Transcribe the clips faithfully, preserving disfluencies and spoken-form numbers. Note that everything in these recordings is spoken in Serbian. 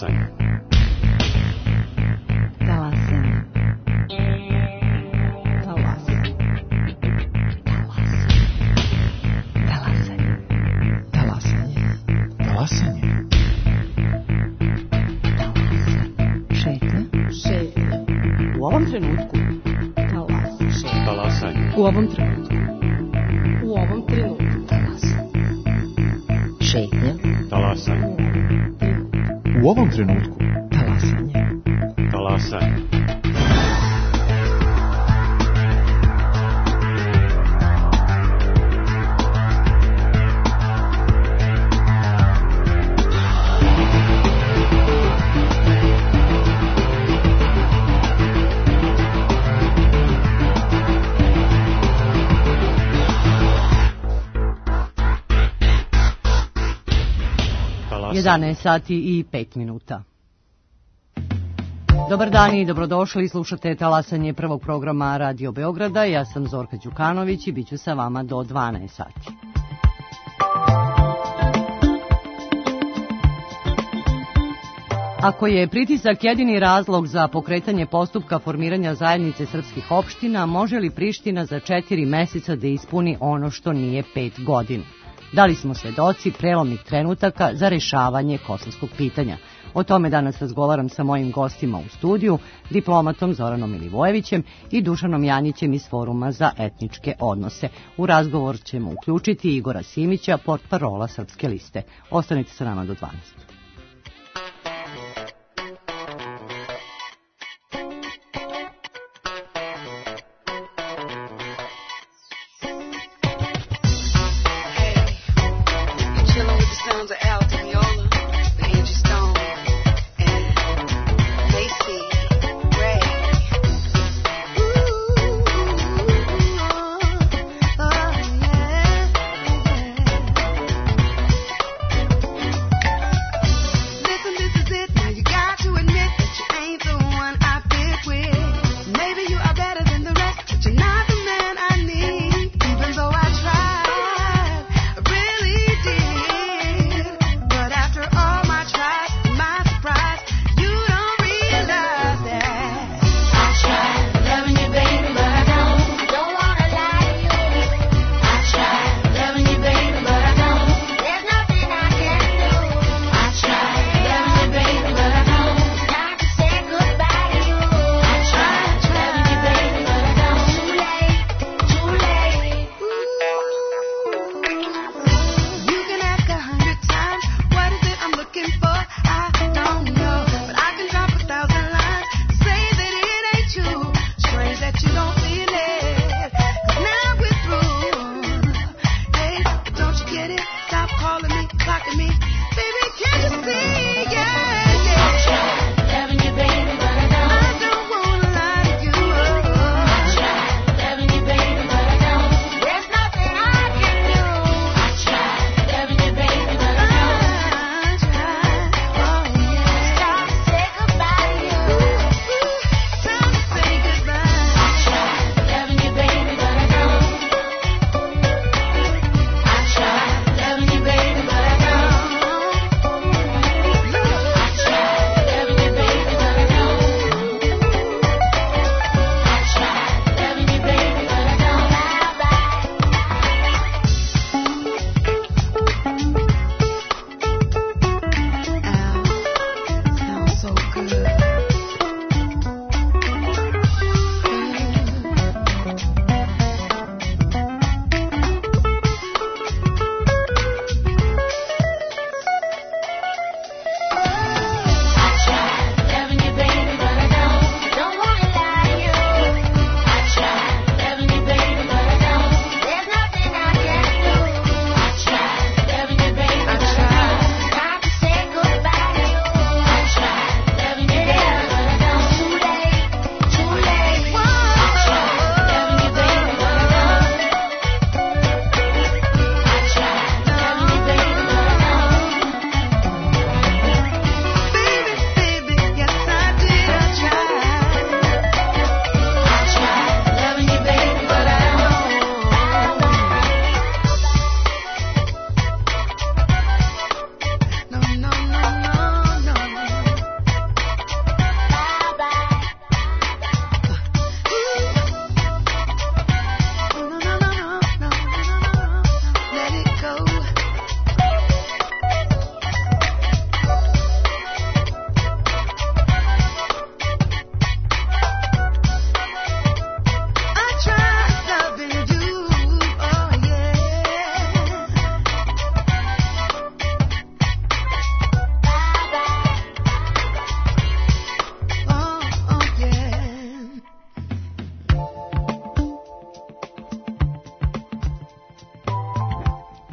Talasanje. Talasanje. Talasanje. Talasanje. Talasanje. Talasanje. Šetnja. Šetnja. U ovom trenutku. Talasanje. Talasanje. U ovom trenutku. U ovom trenutku. Talasanje. Šetnja. Talasanje. U ovom trenutku. Talasanje. Talasanje. jedanaest sati i pet minuta. Dobar dan i dobrodošli, slušate Talasanje prvog programa Radio Beograda. Ja sam Zorka Đukanović i bit ću sa vama do dvanaest sati. Ako je pritisak jedini razlog za pokretanje postupka formiranja zajednice srpskih opština, može li Priština za četiri meseca da ispuni ono što nije pet godina? Da li smo svedoci prelomnih trenutaka za rešavanje kosovskog pitanja? O tome danas razgovaram sa mojim gostima u studiju, diplomatom Zoranom Milivojevićem i Dušanom Janjićem iz Foruma za etničke odnose. U razgovor ćemo uključiti Igora Simića, portparola Srpske liste. Ostanite sa nama do dvanaest.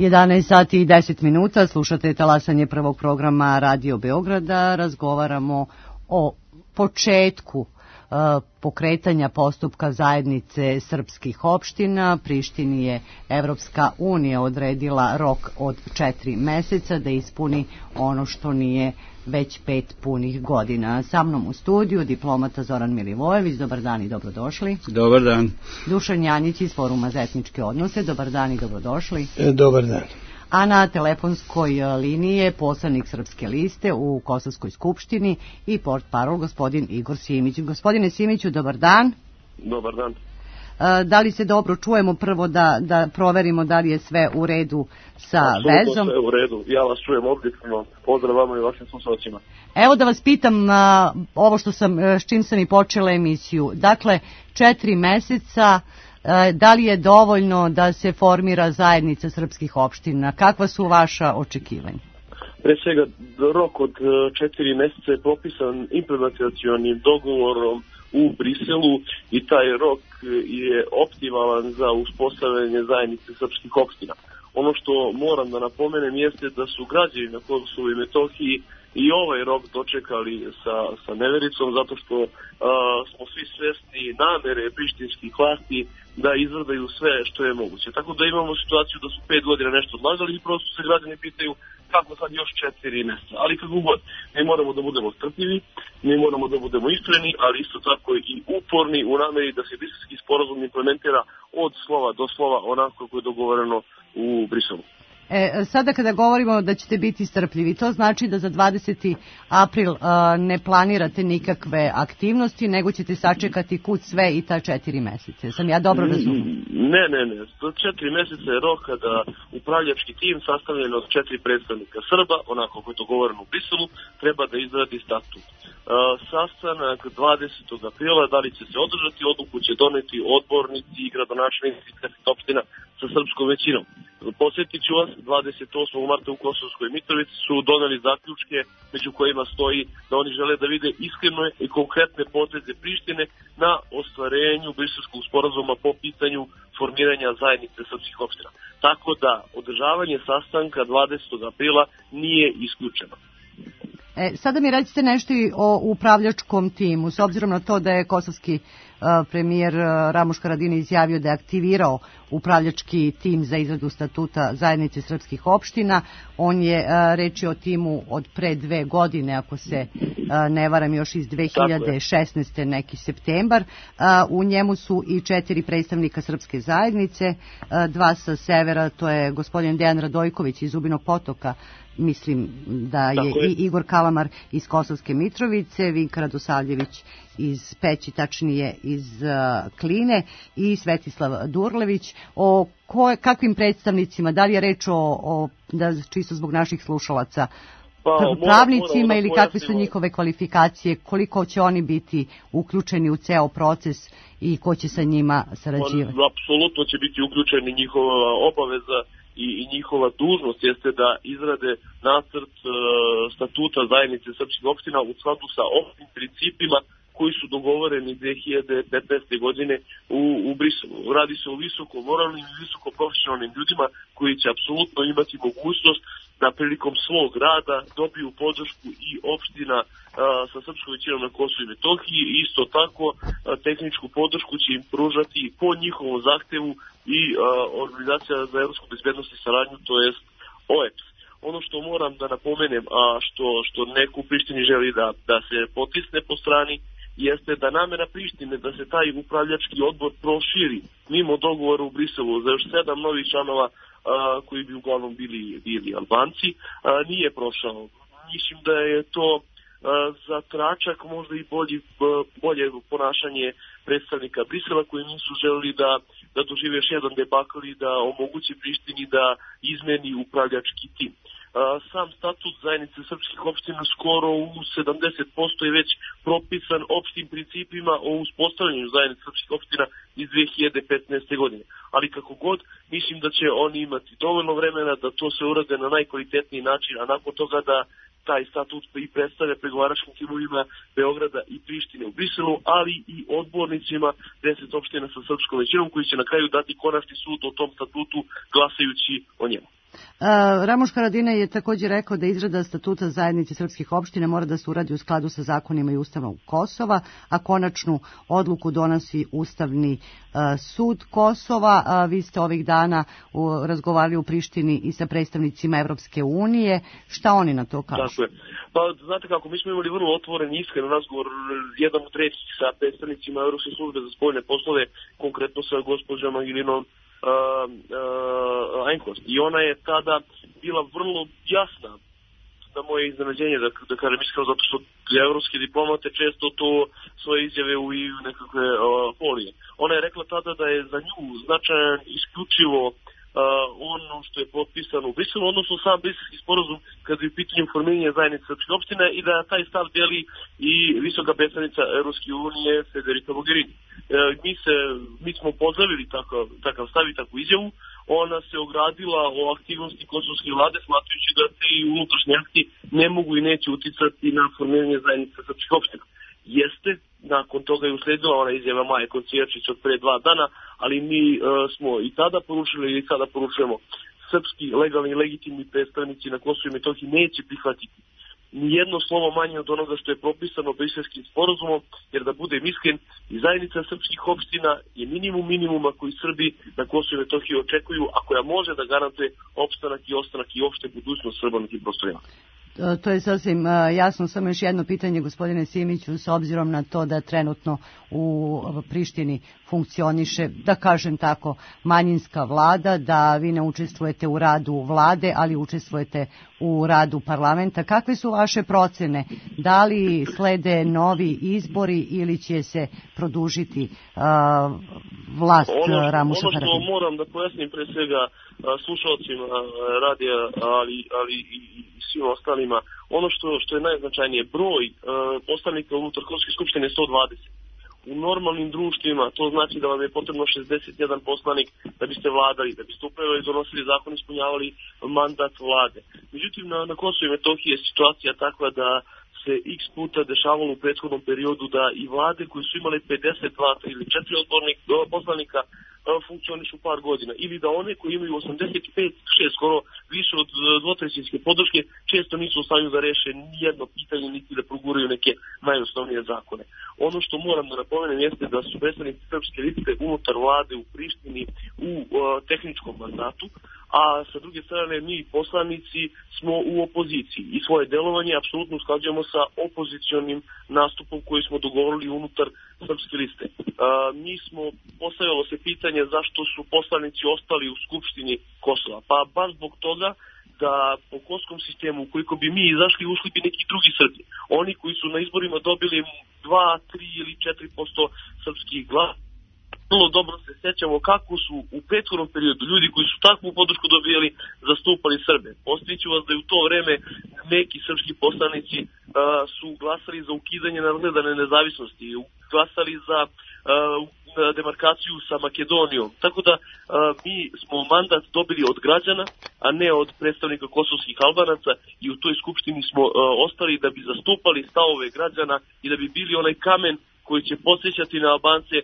jedanaest sati i deset minuta, slušate talasanje prvog programa Radio Beograda, razgovaramo o početku pokretanja postupka zajednice srpskih opština. Prištini je Evropska unija odredila rok od četiri meseca da ispuni ono što nije već pet punih godina. Sa mnom u studiju diplomata Zoran Milivojević, dobar dan i dobrodošli. Dobar dan. Dušan Janjić iz Foruma za etničke odnose, dobar dan i dobrodošli. E, dobar dan. A na telefonskoj liniji je poslanik Srpske liste u Kosovskoj skupštini i portparol gospodin Igor Simić. Gospodine Simiću, dobar dan. Dobar dan. Da li se dobro čujemo, prvo da, da proverimo da li je sve u redu sa Absolutno vezom? Sve u redu, ja vas čujem objektivno. Pozdrav vama i vašim slušalcima. Evo da vas pitam a, ovo što sam, s čim sam i počela emisiju. Dakle, četiri meseca, a, da li je dovoljno da se formira zajednica srpskih opština? Kakva su vaša očekivanja? Pre svega, rok od četiri meseca je propisan implementacionim dogovorom u Briselu i taj rok je optimalan za uspostavljanje zajednice srpskih opština. Ono što moram da napomenem jeste da su građani na Kosovu i Metohiji i ovaj rok dočekali sa, sa nevericom, zato što a, smo svi svesni namere prištinskih vlasti da izvrdaju sve što je moguće. Tako da imamo situaciju da su pet godina nešto odlagali i prosto se građani pitaju kako sad još četiri mjeseca. Ali kako god, mi moramo da budemo strpljivi, mi moramo da budemo iskreni, ali isto tako i uporni u nameri da se briselski sporazum implementira od slova do slova onako kako je dogovoreno u Briselu. E, sada kada govorimo da ćete biti strpljivi, to znači da za dvadeseti april a, ne planirate nikakve aktivnosti, nego ćete sačekati kud sve i ta četiri meseca. Sam ja dobro razumijem? Ne, ne, ne. Četiri meseca je rok kada upravljački tim sastavljen od četiri predstavnika Srba, onako kako je dogovoreno u Briselu, treba da izradi statut. Uh, sastanak dvadesetog aprila, da li će se održati, odluku će doneti odbornici i gradonačelnici opština sa srpskom većinom. Posjetit ću vas, dvadeset osmog marta u Kosovskoj Mitrovici su doneli zaključke među kojima stoji da oni žele da vide iskrene i konkretne poteze Prištine na ostvarenju briselskog sporazuma po pitanju formiranja zajednice srpskih opština. Tako da održavanje sastanka dvadesetog aprila nije isključeno. E, sada mi recite nešto i o upravljačkom timu, s obzirom na to da je kosovski uh, premijer uh, Ramuš Haradinaj izjavio da je aktivirao upravljački tim za izradu statuta zajednice srpskih opština. On je uh, reči o timu od pre dve godine, ako se uh, ne varam, još iz dve hiljade šesnaeste. neki septembar. Uh, u njemu su i četiri predstavnika srpske zajednice, uh, dva sa severa, to je gospodin Dejan Radojković iz Zubinog Potoka, mislim da je, je i Igor Kalamar iz Kosovske Mitrovice, Vinka Radosavljević iz Peći, tačnije iz uh, Kline, i Svetislav Durlević. O koje, kakvim predstavnicima, da li je reč o, o da, čisto zbog naših slušalaca, pa, pravnicima mora, mora ili kakve su njihove kvalifikacije, koliko će oni biti uključeni u ceo proces i ko će sa njima sarađivati? On, apsolutno će biti uključeni, njihova obaveza i, i njihova dužnost jeste da izrade nacrt e, statuta zajednice srpskih opština u skladu sa opštim principima koji su dogovoreni dve hiljade petnaeste. godine u, u Briselu. Radi se o visoko moralnim i visoko profesionalnim ljudima koji će apsolutno imati mogućnost da prilikom svog rada dobiju podršku i opština a, sa srpskom većinom na Kosovu i Metohiji, i isto tako a, tehničku podršku će im pružati po njihovom zahtevu i a, Organizacija za evropsku bezbednost i saradnju, to jest O E P S. Ono što moram da napomenem, a što, što neko u Prištini želi da, da se potisne po strani, jeste da namera Prištine da se taj upravljački odbor proširi mimo dogovora u Briselu za još sedam novih članova a, koji bi uglavnom bili, bili Albanci, a, nije prošao. Mislim da je to a, za tračak možda i bolji, bolje ponašanje predstavnika Brisela koji nisu želeli da, da dožive još jedan debakl i da omogući Prištini da izmeni upravljački tim. Sam statut zajednice srpskih opština skoro u sedamdeset posto je već propisan opštim principima o uspostavljanju zajednice srpskih opština iz dve hiljade petnaeste. godine. Ali kako god, mislim da će oni imati dovoljno vremena da to se urade na najkvalitetniji način, a nakon toga da taj statut i predstavlja pregovaračkim timovima Beograda i Prištine u Briselu, ali i odbornicima deset opština sa srpskom većinom koji će na kraju dati konačni sud o tom statutu glasajući o njemu. Ramuš Haradinaj je također rekao da izrada statuta zajednice srpskih opština mora da se uradi u skladu sa zakonima i Ustavom Kosova, a konačnu odluku donosi Ustavni sud Kosova. Vi ste ovih dana razgovarali u Prištini i sa predstavnicima Evropske unije. Šta oni na to kažu? Tako je. Pa, znate kako, mi smo imali vrlo otvoren i iskren razgovor, jedan od trećih sa predstavnicima Evropske službe za spoljne poslove, konkretno sa gospođom Angelinom Uh, uh, Einhorst. I ona je tada bila vrlo jasna na moje iznenađenje, da, da kažem iskreno, zato što evropske diplomate često to svoje izjave u nekakve uh, folije. Ona je rekla tada da je za nju značajan isključivo Uh, ono što je potpisano u Briselu, odnosno sam briselski sporazum kada je u pitanju formiranja zajednice srpskih opština i da taj stav deli i visoka predstavnica Evropske unije Federica Mogherini. Uh, mi, se, mi smo pozdravili takav, takav stav i takvu izjavu. Ona se ogradila o aktivnosti kosovske vlade, smatrajući da te unutrašnje akti ne mogu i neće uticati na formiranje zajednice srpskih opština. Jeste, nakon toga je usledila ona izjava Maje Kocijačić od pre dva dana, ali mi uh, smo i tada poručili i sada poručujemo, srpski legalni i legitimni predstavnici na Kosovu i Metohiji neće prihvatiti nijedno slovo manje od onoga što je propisano briselskim sporazumom, jer da budem iskren, i zajednica srpskih opština je minimum minimuma koji Srbi na Kosovu i Metohiji očekuju, a koja može da garantuje opstanak i ostanak i opšte budućnost Srba na tim prostorima. To je sasvim jasno. Samo još jedno pitanje, gospodine Simiću, s obzirom na to da trenutno u Prištini funkcioniše, da kažem tako, manjinska vlada, da vi ne učestvujete u radu vlade, ali učestvujete u radu parlamenta. Kakve su vaše procene? Da li slede novi izbori ili će se produžiti uh, vlast Ramuša Haradinaja? Ono što moram da pojasnim pre svega slušalcima radija, ali, ali i svim ostalima, ono što, što je najznačajnije, broj uh, poslanika unutar Kosovske skupštine je sto dvadeset. U normalnim društvima to znači da vam je potrebno šezdeset jedan poslanik da biste vladali, da biste upravo donosili zakon, ispunjavali mandat vlade. Međutim, na, na Kosovu i Metohiji je situacija takva da se x puta dešavalo u prethodnom periodu da i vlade koje su imale pedeset dva ili četiri odbornik, poslanika funkcionišu par godina, ili da one koji imaju osamdeset pet šest skoro više od dvotrećinske podrške često nisu u stanju da reše nijedno pitanje niti da proguraju neke najosnovnije zakone. Ono što moram da napomenem jeste da su predstavnici srpske liste unutar vlade u Prištini u uh, tehničkom mandatu, a sa druge strane mi poslanici smo u opoziciji i svoje delovanje apsolutno usklađujemo sa opozicionim nastupom koji smo dogovorili unutar srpske liste. Uh, mi smo, postavilo se pitanje zašto su poslanici ostali u Skupštini Kosova. Pa baš zbog toga da po kosovskom sistemu, ukoliko bi mi izašli, ušli bi neki drugi Srbi. Oni koji su na izborima dobili dva, tri ili četiri posto srpskih glasa. Vrlo dobro se sjećamo kako su u prethodnom periodu ljudi koji su takvu podršku dobijali zastupali Srbe. Postiću vas da je u to vreme neki srpski poslanici uh, su glasali za ukidanje nadgledane nezavisnosti, glasali za uh, demarkaciju sa Makedonijom. Tako da uh, mi smo mandat dobili od građana, a ne od predstavnika kosovskih Albanaca, i u toj skupštini smo uh, ostali da bi zastupali stavove građana i da bi bili onaj kamen koji će podsjećati na Albance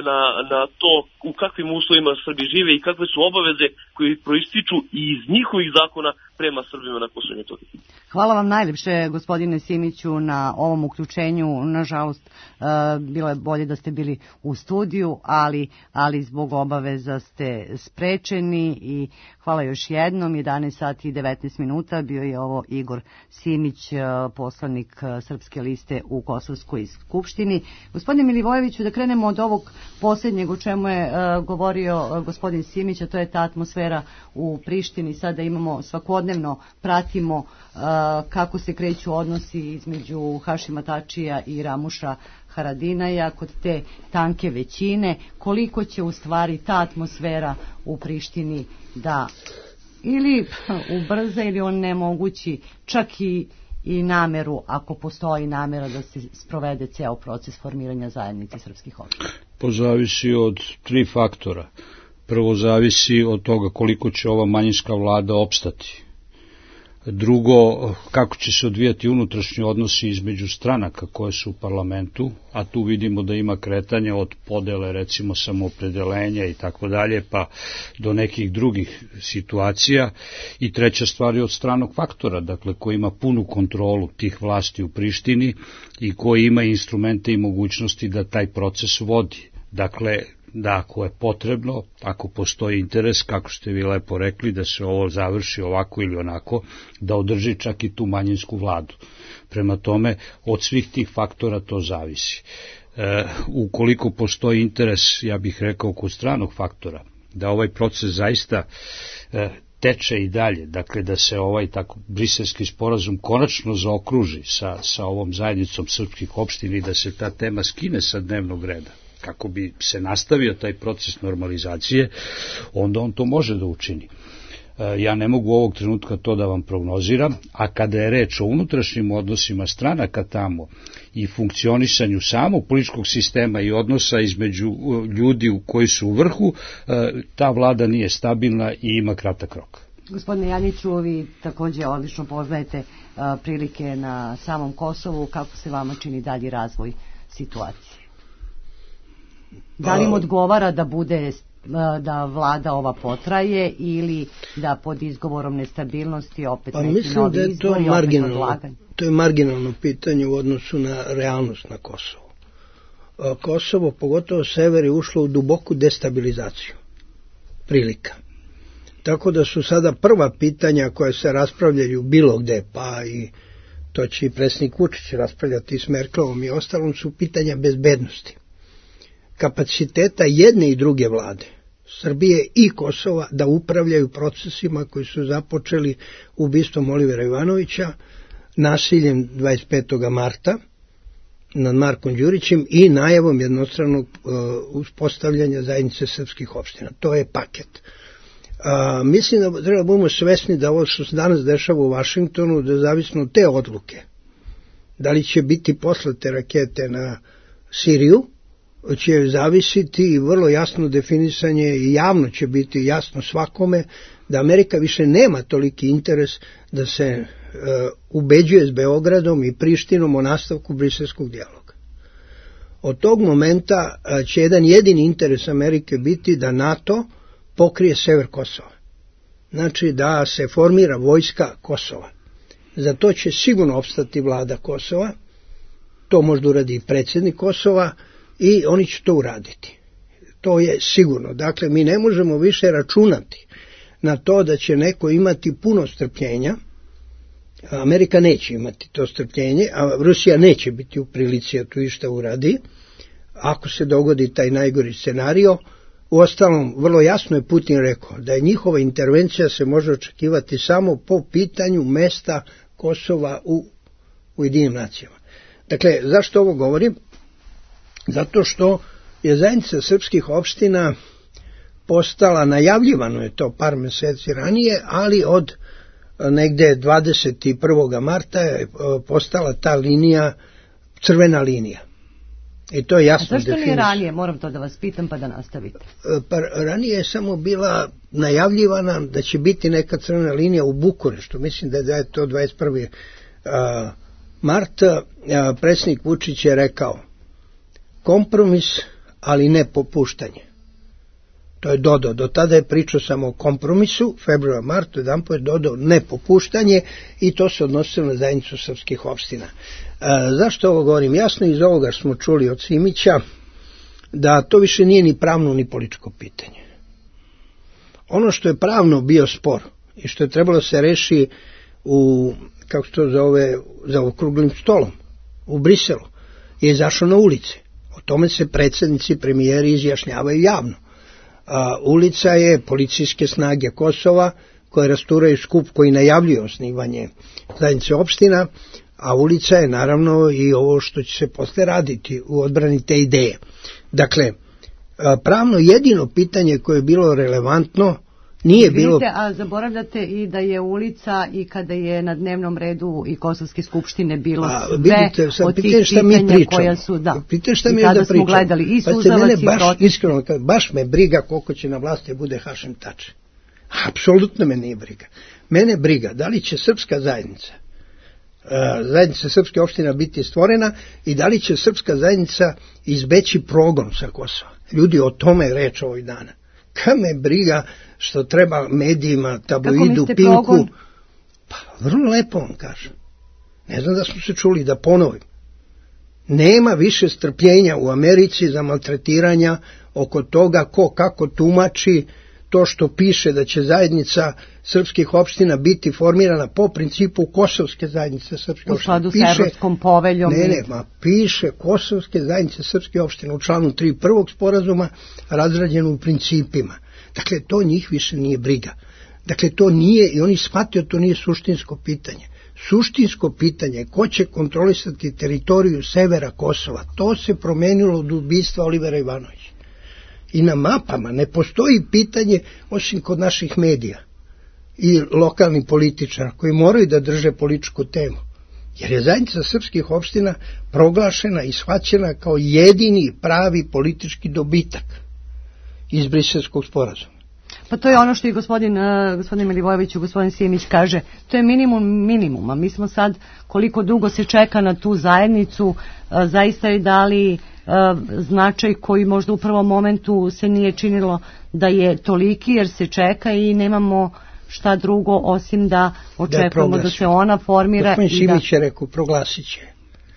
Na, na to u kakvim uslovima Srbi žive i kakve su obaveze koji proističu iz njihovih zakona prema Srbima na Kosovu i Metohiji. Hvala vam najljepše, gospodine Simiću, na ovom uključenju. Nažalost, bilo je bolje da ste bili u studiju, ali, ali zbog obaveza ste sprečeni i hvala još jednom. jedanaest sati i devetnaest minuta bio je ovo Igor Simić, poslanik Srpske liste u Kosovskoj skupštini. Gospodine Milivojeviću, da krenemo od ovog posljednjeg o čemu je uh, govorio uh, gospodin Simić, a to je ta atmosfera u Prištini. Sada imamo svakodnevno, pratimo uh, kako se kreću odnosi između Hašima Tačija i Ramuša Haradinaja kod te tanke većine. Koliko će u stvari ta atmosfera u Prištini da ili ubrza ili on nemogući čak i i nameru, ako postoji namera da se sprovede ceo proces formiranja zajednice srpskih opština? To zavisi od tri faktora. Prvo zavisi od toga koliko će ova manjinska vlada opstati. Drugo, kako će se odvijati unutrašnji odnosi između stranaka koje su u parlamentu, a tu vidimo da ima kretanja od podele, recimo samoopredelenja i tako dalje, pa do nekih drugih situacija. I treća stvar je od stranog faktora, dakle koji ima punu kontrolu tih vlasti u Prištini i koji ima instrumente i mogućnosti da taj proces vodi. Dakle, da ako je potrebno, ako postoji interes, kako ste vi lepo rekli, da se ovo završi ovako ili onako, da održi čak i tu manjinsku vladu. Prema tome, od svih tih faktora to zavisi. E, ukoliko postoji interes, ja bih rekao, kod stranog faktora, da ovaj proces zaista e, teče i dalje, dakle da se ovaj tako briselski sporazum konačno zaokruži sa, sa ovom zajednicom srpskih opština i da se ta tema skine sa dnevnog reda, kako bi se nastavio taj proces normalizacije, onda on to može da učini. Ja ne mogu ovog trenutka to da vam prognoziram, a kada je reč o unutrašnjim odnosima stranaka tamo i funkcionisanju samog političkog sistema i odnosa između ljudi koji su u vrhu, ta vlada nije stabilna i ima kratak rok. Gospodine Janjiću, vi također odlično poznajete prilike na samom Kosovu. Kako se vama čini dalji razvoj situacije? Da li im odgovara da bude da vlada ova potraje ili da pod izgovorom nestabilnosti opet pa neki novi da izbor i opet odlaganje? To je marginalno pitanje u odnosu na realnost na Kosovo. Kosovo, pogotovo sever, je ušlo u duboku destabilizaciju prilika. Tako da su sada prva pitanja koja se raspravljaju bilo gde, pa i to će i predsjednik Vučić raspravljati s Merkelovom i ostalom, su pitanja bezbednosti. Kapaciteta jedne i druge vlade, Srbije i Kosova, da upravljaju procesima koji su započeli ubistvom Olivera Ivanovića, nasiljem dvadeset petog marta nad Markom Đurićem i najavom jednostranog uh, uspostavljanja zajednice srpskih opština. To je paket. Uh, mislim da treba budemo svesni da ovo što se danas dešava u Vašingtonu, da zavisno od te odluke, da li će biti poslate rakete na Siriju, će zavisiti i vrlo jasno definisanje i javno će biti jasno svakome da Amerika više nema toliki interes da se e, ubeđuje s Beogradom i Prištinom o nastavku briselskog dijaloga. Od tog momenta e, će jedan jedini interes Amerike biti da NATO pokrije sever Kosova. Znači da se formira vojska Kosova. Za to će sigurno opstati vlada Kosova, to možda uradi i predsjednik Kosova, i oni će to uraditi. To je sigurno. Dakle, mi ne možemo više računati na to da će neko imati puno strpljenja. Amerika neće imati to strpljenje, a Rusija neće biti u prilici da to išta uradi. Ako se dogodi taj najgori scenario, uostalom, vrlo jasno je Putin rekao da je njihova intervencija se može očekivati samo po pitanju mesta Kosova u Ujedinjenim nacijama. Dakle, zašto ovo govorim? Zato što je zajednica srpskih opština postala, najavljivano je to par meseci ranije, ali od negde dvadeset prvog marta je postala ta linija, crvena linija. I to je jasno definisano. A zašto nije ranije? Moram to da vas pitam pa da nastavite. Pa ranije je samo bila najavljivana da će biti neka crvena linija u Bukureštu. Mislim da je to dvadeset prvog marta. Predsjednik Vučić je rekao kompromis, ali ne popuštanje. To je dodao. Do tada je pričao samo o kompromisu, februar, mart, jedan po je dodao ne popuštanje i to se odnosilo na zajednicu srpskih opština. E, zašto ovo govorim? Jasno iz ovoga smo čuli od Simića da to više nije ni pravno ni političko pitanje. Ono što je pravno bio spor i što je trebalo se reši u, kako se to zove, za okruglim stolom u Briselu, je izašao na ulice. O tome se predsjednici, premijeri izjašnjavaju javno. A, ulica je policijske snage Kosova koje rasturaju skup koji najavljuje osnivanje zajednice opština, a ulica je naravno i ovo što će se posle raditi u odbrani te ideje. Dakle, pravno jedino pitanje koje je bilo relevantno nije Vidite, bilo... a zaboravljate i da je ulica i kada je na dnevnom redu i Kosovske skupštine bilo a, sve vidite, sad, od tih pitanje šta mi pitanja pričamo. koja su, da, pitanje šta i mi tada da smo gledali i Suzavac i baš, Protiv. Iskreno, baš me briga koliko će na vlasti bude Hašim Tači. Apsolutno me nije briga. Mene briga da li će srpska zajednica, zajednica srpske opština biti stvorena i da li će srpska zajednica izbeći progon sa Kosova. Ljudi, o tome je reč ovih dana. Kad me briga što treba medijima, tabloidu, Pinku. Progon? Pa, vrlo lepo vam kažem. Ne znam da smo se čuli, da ponovim. Nema više strpljenja u Americi za maltretiranja oko toga ko kako tumači to što piše da će zajednica srpskih opština biti formirana po principu kosovske zajednice srpskih opština. U skladu sa Evropskom poveljom. Ne, ne, ma piše kosovske zajednice srpskih opština u članu tri prvog sporazuma, razrađeno u principima. Dakle, to njih više nije briga. Dakle, to nije, i oni shvataju, to nije suštinsko pitanje. Suštinsko pitanje, ko će kontrolisati teritoriju severa Kosova, to se promenilo od ubistva Olivera Ivanovića. I na mapama ne postoji pitanje, osim kod naših medija i lokalnih političara koji moraju da drže političku temu. Jer je zajednica srpskih opština proglašena i shvaćena kao jedini pravi politički dobitak iz Briselskog sporazuma. Pa to je ono što i gospodin, uh, gospodin Milivojević i gospodin Simić kaže, to je minimum minimuma. Mi smo sad, koliko dugo se čeka na tu zajednicu, uh, zaista je dali uh, značaj koji možda u prvom momentu se nije činilo da je toliki, jer se čeka i nemamo šta drugo osim da očekujemo da, da se ona formira. Gospodin Simić je rekao, proglasit će.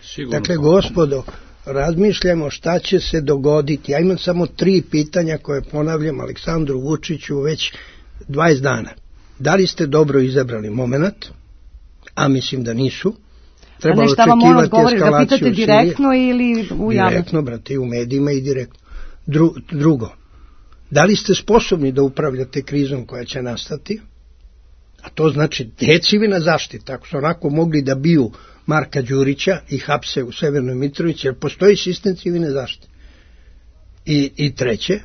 Sigurno. Dakle, gospodo, razmišljamo šta će se dogoditi. Ja imam samo tri pitanja koje ponavljam Aleksandru Vučiću već dvadeset dana. Da li ste dobro izabrali moment? A mislim da nisu. Trebalo a ne šta vam on odgovori, da pitate direktno ili u javnosti? Direktno, brate, u medijima i direktno. Dru, drugo, da li ste sposobni da upravljate krizom koja će nastati? A to znači civilna zaštita. Ako su onako mogli da biju Marka Đurića i hapse u Severnoj Mitrovici, jer postoji sistem civilne zaštite. I, i treće,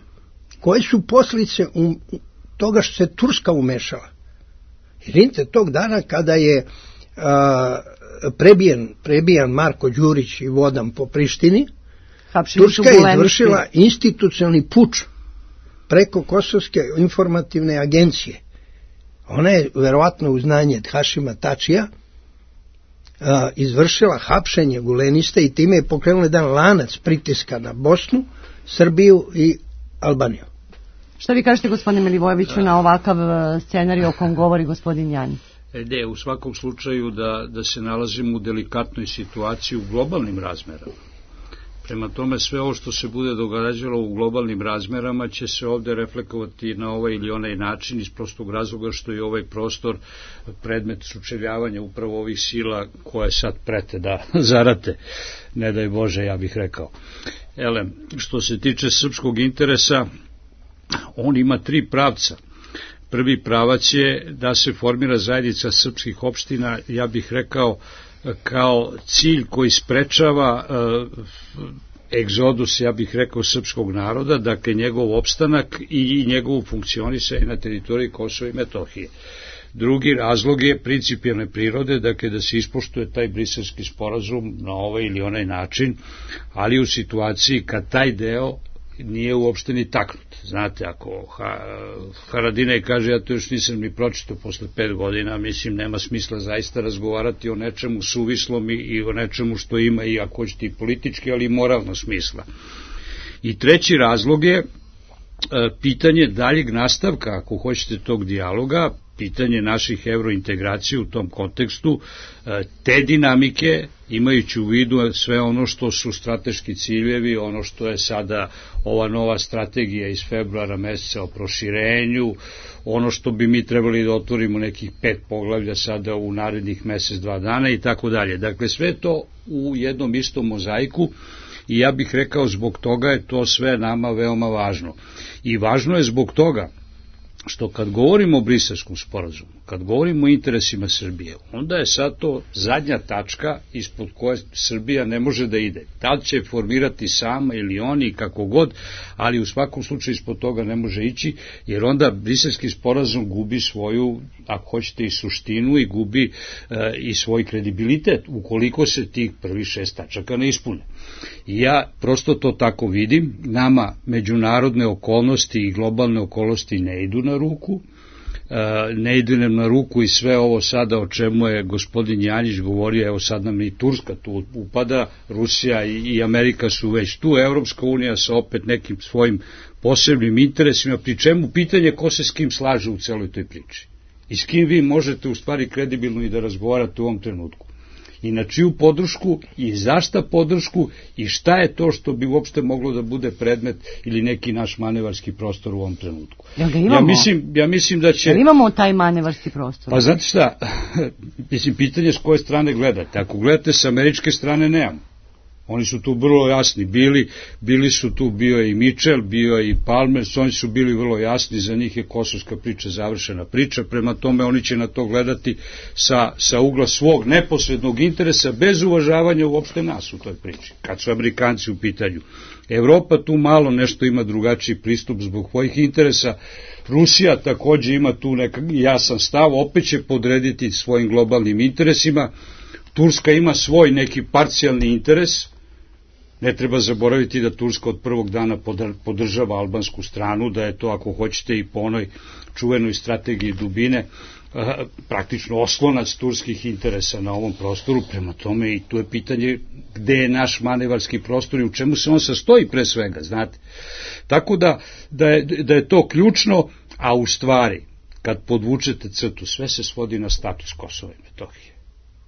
koje su posljedice um, toga što se Turska umešala? Jer vidite, tog dana kada je a, prebijen, prebijan Marko Đurić i vodan po Prištini, Hapšeni Turska je izvršila institucionalni puč preko Kosovske informativne agencije. Ona je verovatno uz znanje Hašima Tačija a, izvršila hapšenje Gulenista i time je pokrenula jedan lanac pritiska na Bosnu, Srbiju i Albaniju. Šta vi kažete, gospodine Milivojeviću, na ovakav scenarij o kom govori gospodin Jan? Ne, u svakom slučaju da, da se nalazimo u delikatnoj situaciji u globalnim razmerama. Prema tome, sve ovo što se bude događalo u globalnim razmerama će se ovde reflekovati na ovaj ili onaj način iz prostog razloga što je ovaj prostor predmet sučeljavanja upravo ovih sila koje sad prete da zarate, ne daj Bože, ja bih rekao. Ele, što se tiče srpskog interesa, on ima tri pravca. Prvi pravac je da se formira zajednica srpskih opština, ja bih rekao, kao cilj koji sprečava e, egzodus, ja bih rekao, srpskog naroda, dakle njegov opstanak i njegovu funkcionisanje na teritoriji Kosova i Metohije. Drugi razlog je principijelne prirode, dakle da se ispoštuje taj briselski sporazum na ovaj ili onaj način, ali u situaciji kad taj deo nije uopšte ni taknut. Znate, ako ha, Haradinaj kaže, ja to još nisam ni pročitao posle pet godina, mislim, nema smisla zaista razgovarati o nečemu suvislom i, i o nečemu što ima i, ako hoćete, i politički, ali i moralno smisla. I treći razlog je e, pitanje daljeg nastavka, ako hoćete, tog dijaloga, pitanje naših evrointegracija u tom kontekstu, te dinamike, imajući u vidu sve ono što su strateški ciljevi, ono što je sada ova nova strategija iz februara meseca o proširenju, ono što bi mi trebali da otvorimo nekih pet poglavlja sada u narednih mesec, dva dana i tako dalje. Dakle, sve to u jednom istom mozaiku i ja bih rekao zbog toga je to sve nama veoma važno. I važno je zbog toga što kad govorimo o Briselskom sporazumu, kad govorimo o interesima Srbije, onda je sad to zadnja tačka ispod koje Srbija ne može da ide. Da li će formirati sama ili oni, kako god, ali u svakom slučaju ispod toga ne može ići, jer onda Briselski sporazum gubi svoju, ako hoćete, i suštinu i gubi e, i svoj kredibilitet, ukoliko se tih prvih šest tačaka ne ispune. I ja prosto to tako vidim, nama međunarodne okolnosti i globalne okolnosti ne idu na ruku, ne ide nam na ruku i sve ovo sada o čemu je gospodin Janjić govorio, evo sad nam i Turska tu upada, Rusija i Amerika su već tu, Evropska unija sa opet nekim svojim posebnim interesima, pri čemu pitanje ko se s kim slaže u celoj toj priči i s kim vi možete u stvari kredibilno i da razgovarate u ovom trenutku. I na čiju podršku i zašta podršku i šta je to što bi uopšte moglo da bude predmet ili neki naš manevarski prostor u ovom trenutku. Ja mislim, ja mislim da će... Jel imamo taj manevarski prostor? Pa znate šta, mislim, pitanje s koje strane gledate. Ako gledate sa američke strane, nemamo. Oni su tu vrlo jasni bili, bili su tu, bio je i Mitchell, bio je i Palmer, oni su bili vrlo jasni, za njih je kosovska priča završena priča, prema tome oni će na to gledati sa, sa ugla svog neposrednog interesa, bez uvažavanja uopšte nas u toj priči, kad su Amerikanci u pitanju. Evropa tu malo nešto ima drugačiji pristup zbog svojih interesa, Rusija takođe ima tu nekak jasan stav, opet će podrediti svojim globalnim interesima, Turska ima svoj neki parcijalni interes. Ne treba zaboraviti da Turska od prvog dana podržava albansku stranu, da je to, ako hoćete, i po onoj čuvenoj strategiji dubine, praktično oslonac turskih interesa na ovom prostoru, prema tome i tu je pitanje gde je naš manevarski prostor i u čemu se on sastoji pre svega, znate. Tako da, da, je, da je to ključno, a u stvari, kad podvučete crtu, sve se svodi na status Kosova i Metohije.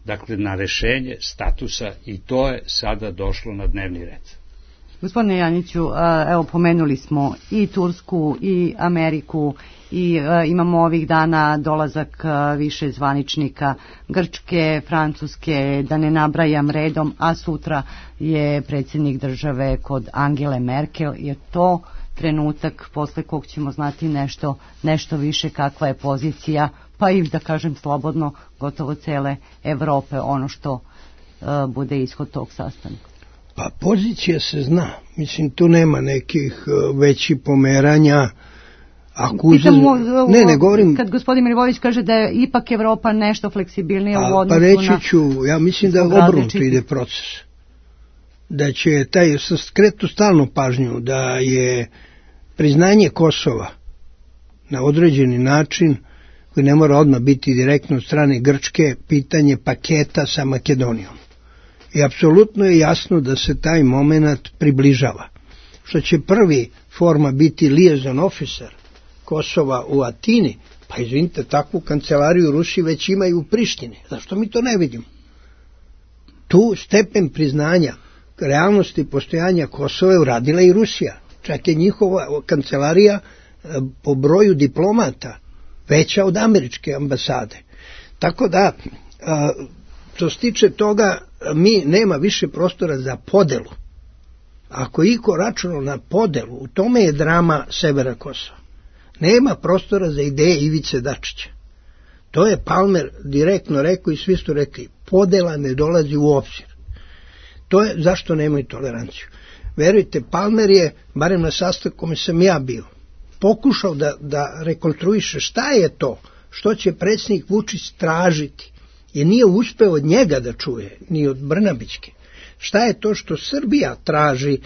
Dakle, na rešenje statusa i to je sada došlo na dnevni red. Gospodine Janjiću, evo pomenuli smo i Tursku i Ameriku i imamo ovih dana dolazak više zvaničnika Grčke, Francuske, da ne nabrajam redom, a sutra je predsjednik države kod Angele Merkel. Je to trenutak posle kog ćemo znati nešto, nešto više kakva je pozicija, pa i da kažem slobodno, gotovo cele Evrope, ono što uh, bude ishod tog sastanka? Pa pozicija se zna. Mislim, tu nema nekih uh, većih pomeranja. Ako uzem... ne, ne govorim... Kad gospodin Milivojević kaže da je ipak Evropa nešto fleksibilnija u odnosu na... Pa reći na... ću, ja mislim da obrnuto ide proces. Da će taj, skretu stalnu pažnju, da je priznanje Kosova na određeni način, koji ne mora odmah biti direktno od strane Grčke, pitanje paketa sa Makedonijom. I apsolutno je jasno da se taj moment približava. Što će prvi forma biti liaison officer Kosova u Atini, pa izvinite, takvu kancelariju Rusi već imaju u Prištini. Zašto mi to ne vidimo? Tu stepen priznanja realnosti postojanja Kosova je uradila i Rusija. Čak je njihova kancelarija po broju diplomata veća od američke ambasade. Tako da, što se tiče toga, mi nema više prostora za podelu. Ako iko računao na podelu, u tome je drama severa Kosova. Nema prostora za ideje Ivice Dačića. To je Palmer direktno rekao i svi su rekli, podela ne dolazi u obzir. To je zašto nemaju toleranciju. Verujte, Palmer je, barem na sastanku kome sam ja bio, pokušao da, da rekonstruiše šta je to što će predsjednik Vučić tražiti, jer nije uspeo od njega da čuje, ni od Brnabićke. Šta je to što Srbija traži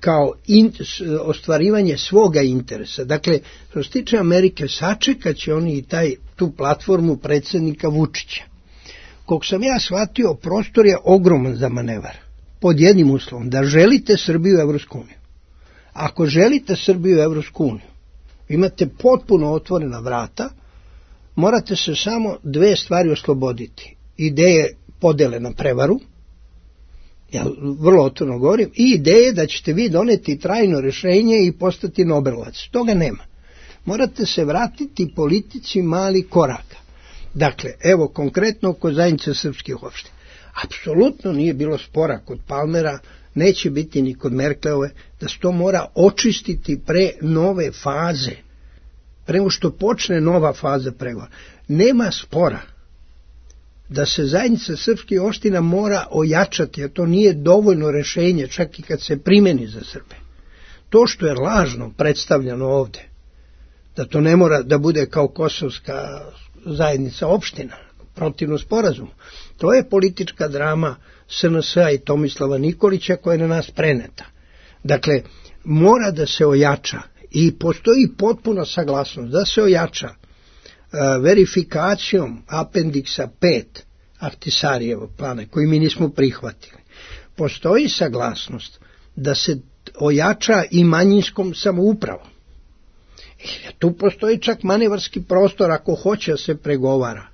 kao in, ostvarivanje svoga interesa. Dakle, što se tiče Amerike, sačekat će oni i taj, tu platformu predsjednika Vučića. Kog sam ja shvatio, prostor je ogroman za manevar. Pod jednim uslovom, da želite Srbiju u Evropsku uniju. Ako želite Srbiju u Evropsku uniju, imate potpuno otvorena vrata, morate se samo dve stvari osloboditi. Ideje podele na prevaru, ja vrlo otvoreno govorim, i ideje da ćete vi doneti trajno rješenje i postati Nobelovac. Toga nema. Morate se vratiti politici mali koraka. Dakle, evo konkretno kod zajednice srpskih opština. Apsolutno nije bilo spora kod Palmera, neće biti ni kod Merkelove, da se to mora očistiti pre nove faze, pre što počne nova faza pregovora. Nema spora da se zajednica srpskih opština mora ojačati, a to nije dovoljno rešenje, čak i kad se primeni za Srbe. To što je lažno predstavljeno ovde, da to ne mora da bude kao kosovska zajednica opština, protivno sporazumu, to je politička drama S N S-a i Tomislava Nikolića koja je na nas preneta. Dakle, mora da se ojača i postoji potpuna saglasnost da se ojača verifikacijom apendiksa pet Ahtisarijevog plana, koji mi nismo prihvatili, postoji saglasnost da se ojača i manjinskom samoupravom. I tu postoji čak manevarski prostor ako hoće da se pregovara.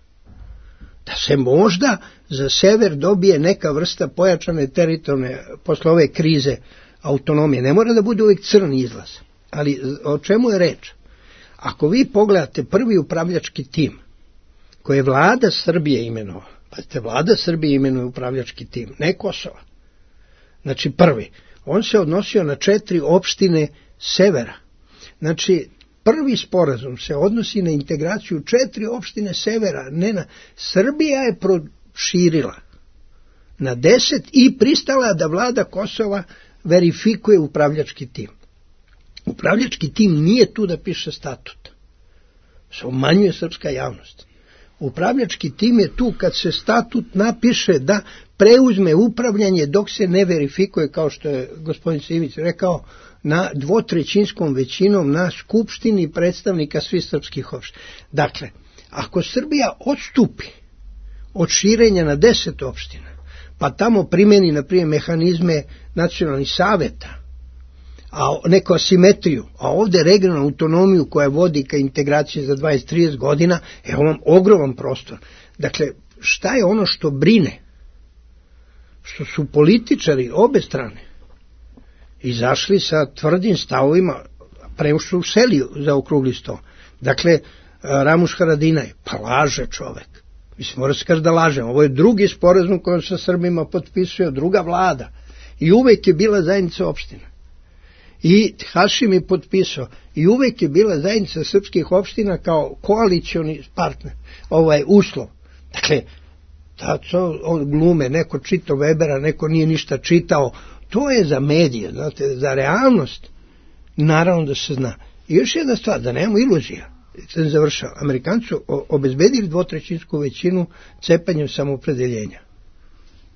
Da se možda za sever dobije neka vrsta pojačane teritorijalne posle ove krize autonomije. Ne mora da bude uvijek crni izlaz. Ali o čemu je reč? Ako vi pogledate prvi upravljački tim koji je vlada Srbije imenovala, pazite, vlada Srbije imenuje upravljački tim, ne Kosova. Znači prvi, on se odnosio na četiri opštine severa. Znači, prvi sporazum se odnosi na integraciju četiri opštine severa, ne na... Srbija je proširila na deset i pristala da vlada Kosova verifikuje upravljački tim. Upravljački tim nije tu da piše statut. Se umanjuje srpska javnost. Upravljački tim je tu kad se statut napiše da preuzme upravljanje dok se ne verifikuje, kao što je gospodin Simić rekao, na dvotrećinskom većinom na skupštini predstavnika svih srpskih opština. Dakle, ako Srbija odstupi od širenja na deset opština, pa tamo primeni, na primjer, mehanizme nacionalnih saveta, a neku asimetriju, a ovde regionalnu autonomiju koja vodi ka integraciji za dvadeset do trideset godina, evo vam ogroman prostor. Dakle, šta je ono što brine? Što su političari obe strane izašli sa tvrdim stavovima, pre što useli za okrugli sto. Dakle, Ramuš Haradinaj, pa laže čovek. Mislim, mora se kaži da lažem. Ovo je drugi sporazum kojom sa Srbima potpisuje druga vlada. I uvek je bila zajednica opština. I Hašim je potpisao. I uvek je bila zajednica srpskih opština kao koalicioni partner. Ovaj uslov. Dakle, da to glume, neko čitao Webera, neko nije ništa čitao. To je za medije, znate, za realnost. Naravno da se zna. I još jedna stvar, da nemamo iluzija. Sam završao. Amerikanci su obezbedili dvotrećinsku većinu cepanjem samoopredeljenja.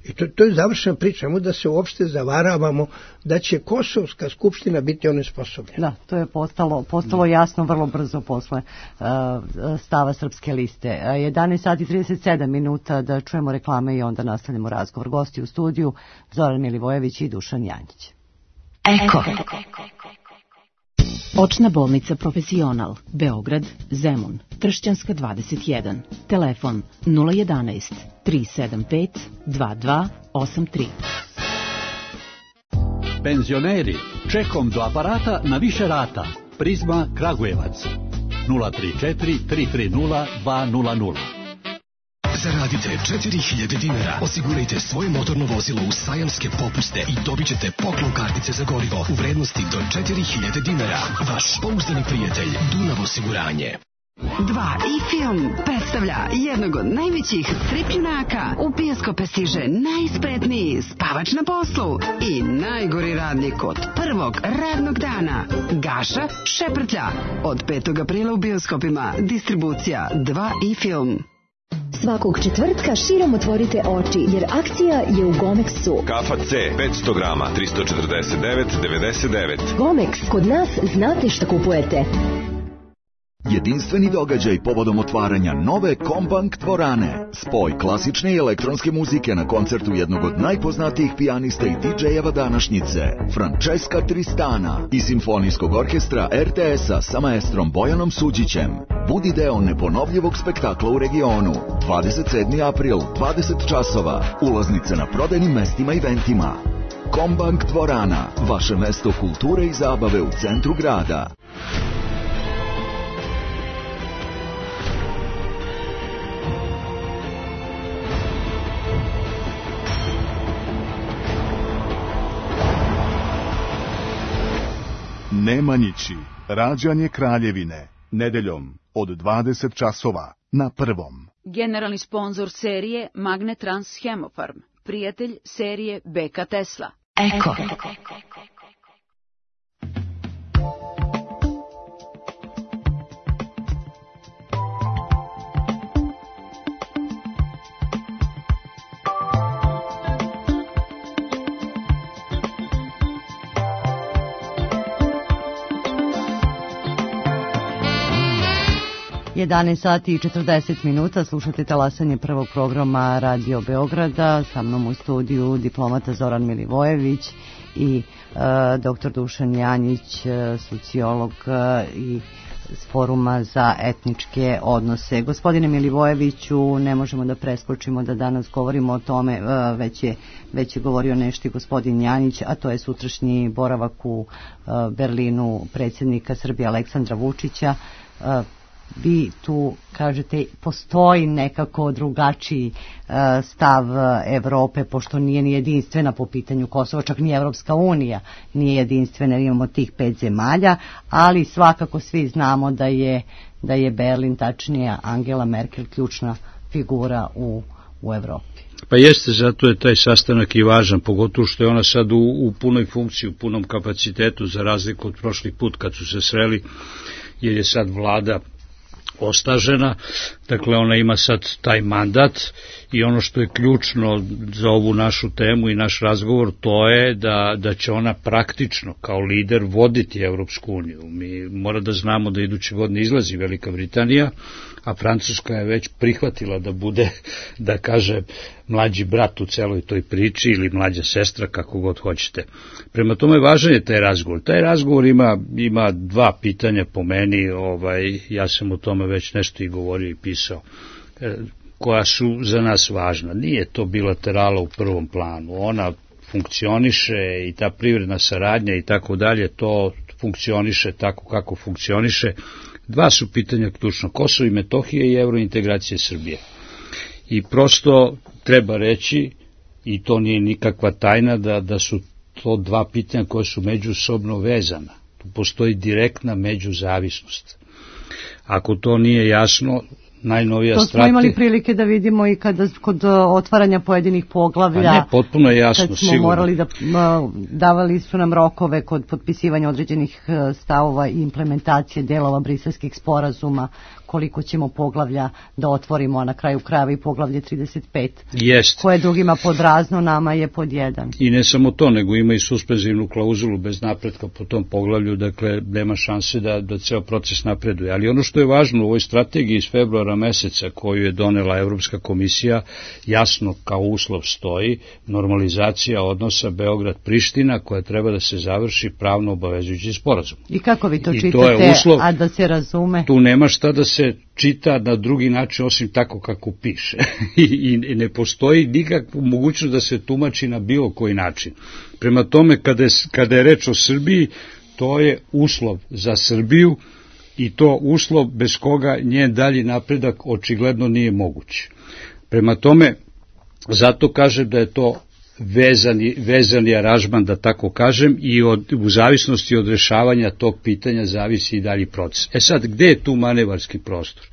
I to, to je završena priča. Nemo da se uopšte zavaravamo da će Kosovska skupština biti onesposobljena. Da, to je postalo, postalo jasno vrlo brzo posle uh, stava Srpske liste. jedanaest sati i trideset sedam minuta, da čujemo reklame i onda nastavljamo razgovor. Gosti u studiju Zoran Milivojević i Dušan Janjić. Eko. Očna bolnica Profesional, Beograd, Zemun, Tršćanska dvadeset jedan. Telefon nula jedanaest tri sedam pet dva dva osam tri. Penzioneri, čekom do aparata na više rata. Prizma Kragujevac nula tri četiri tri tri nula dva nula nula. Zaradite četiri hiljade dinara, osigurajte svoje motorno vozilo u sajamske popuste i dobit ćete poklon kartice za gorivo u vrednosti do četiri hiljade dinara. Vaš pouzdani prijatelj Dunav osiguranje. Dva i film predstavlja jednog od najvećih strip junaka. U bioskope stiže najspretniji spavač na poslu i najgori radnik od prvog radnog dana. Gaša Šeprtlja. Od petog aprila u bioskopima. Distribucija Dva i film. Svakog četvrtka širom otvorite oči, jer akcija je u Gomexu. Kafa C, petsto grama, tristo četrdeset devet devedeset devet. Gomex, kod nas znate šta kupujete. Jedinstveni događaj povodom otvaranja nove Kombank dvorane. Spoj klasične i elektronske muzike na koncertu jednog od najpoznatijih pijanista i didžejeva današnjice, Francesca Tristana, i simfonijskog orkestra er te es-a sa maestrom Bojanom Suđićem. Budi deo neponovljivog spektakla u regionu. dvadeset sedmi april, dvadeset časova. Ulaznice na prodajnim mestima i eventima. Kombank dvorana, vaše mesto kulture i zabave u centru grada. Nemanjići, rađanje Kraljevine, nedeljom od dvadeset časova na Prvom. Generalni sponzor serije Magnetrans Hemofarm, prijatelj serije be ka Tesla. Eko. jedanaest sati i četrdeset minuta, slušate talasanje prvog programa Radio Beograda, sa mnom u studiju diplomata Zoran Milivojević i e, doktor Dušan Janjić, e, sociolog e, i s Foruma za etničke odnose. Gospodine Milivojeviću, ne možemo da preskočimo da danas govorimo o tome, e, već je, već je govorio nešto i gospodin Janjić, a to je sutrašnji boravak u e, Berlinu predsjednika Srbije Aleksandra Vučića. E, Vi tu kažete postoji nekako drugačiji uh, stav Evrope, pošto nije ni jedinstvena po pitanju Kosova, čak ni Evropska unija nije jedinstvena, imamo tih pet zemalja, ali svakako svi znamo da je, da je Berlin, tačnije Angela Merkel, ključna figura u, u Evropi. Pa jeste, zato je taj sastanak i važan, pogotovo što je ona sad u, u punoj funkciji, u punom kapacitetu, za razliku od prošlih put kad su se sreli, jer je sad vlada ostažena, dakle ona ima sad taj mandat i ono što je ključno za ovu našu temu i naš razgovor, to je da, da će ona praktično kao lider voditi Evropsku uniju. Mi mora da znamo da idući godini izlazi Velika Britanija, a Francuska je već prihvatila da bude, da kaže, mlađi brat u celoj toj priči ili mlađa sestra, kako god hoćete. Prema tome važan je taj razgovor. Taj razgovor ima, ima dva pitanja po meni, ovaj, ja sam o tome već nešto i govorio i pisao, koja su za nas važna. Nije to bilaterala u prvom planu, ona funkcioniše i ta privredna saradnja i tako dalje, to funkcioniše tako kako funkcioniše. Dva su pitanja ključno, Kosovo i Metohija i eurointegracije Srbije. I prosto treba reći, i to nije nikakva tajna, da, da su to dva pitanja koje su međusobno vezana. Tu postoji direktna međuzavisnost. Ako to nije jasno, najnovija to smo strategija... imali prilike da vidimo i kada, kod otvaranja pojedinih poglavlja. Pa ne, potpuno je jasno, kad smo sigurno. morali da, davali su nam rokove kod potpisivanja određenih stavova i implementacije delova briselskih sporazuma, koliko ćemo poglavlja da otvorimo, a na kraju krajeva i poglavlje trideset pet. Jest. Koje drugima pod razno, nama je pod jedan. I ne samo to, nego ima i suspenzivnu klauzulu bez napretka po tom poglavlju, dakle nema šanse da, da ceo proces napreduje. Ali ono što je važno u ovoj strategiji iz februara meseca koju je donela Evropska komisija, jasno kao uslov stoji normalizacija odnosa Beograd-Priština, koja treba da se završi pravno obavezujući sporazum. I kako vi to I čitate, to je uslov, a da se razume? Tu nema šta da se čita na drugi način osim tako kako piše. I, I ne postoji nikakva mogućnost da se tumači na bilo koji način. Prema tome, kada je, kada je reč o Srbiji, to je uslov za Srbiju i to uslov bez koga njen dalji napredak očigledno nije moguć. Prema tome, zato kažem da je to vezani, vezani aranžman, da tako kažem, i od, u zavisnosti od rešavanja tog pitanja zavisi i dalji proces. E sad, gde je tu manevarski prostor?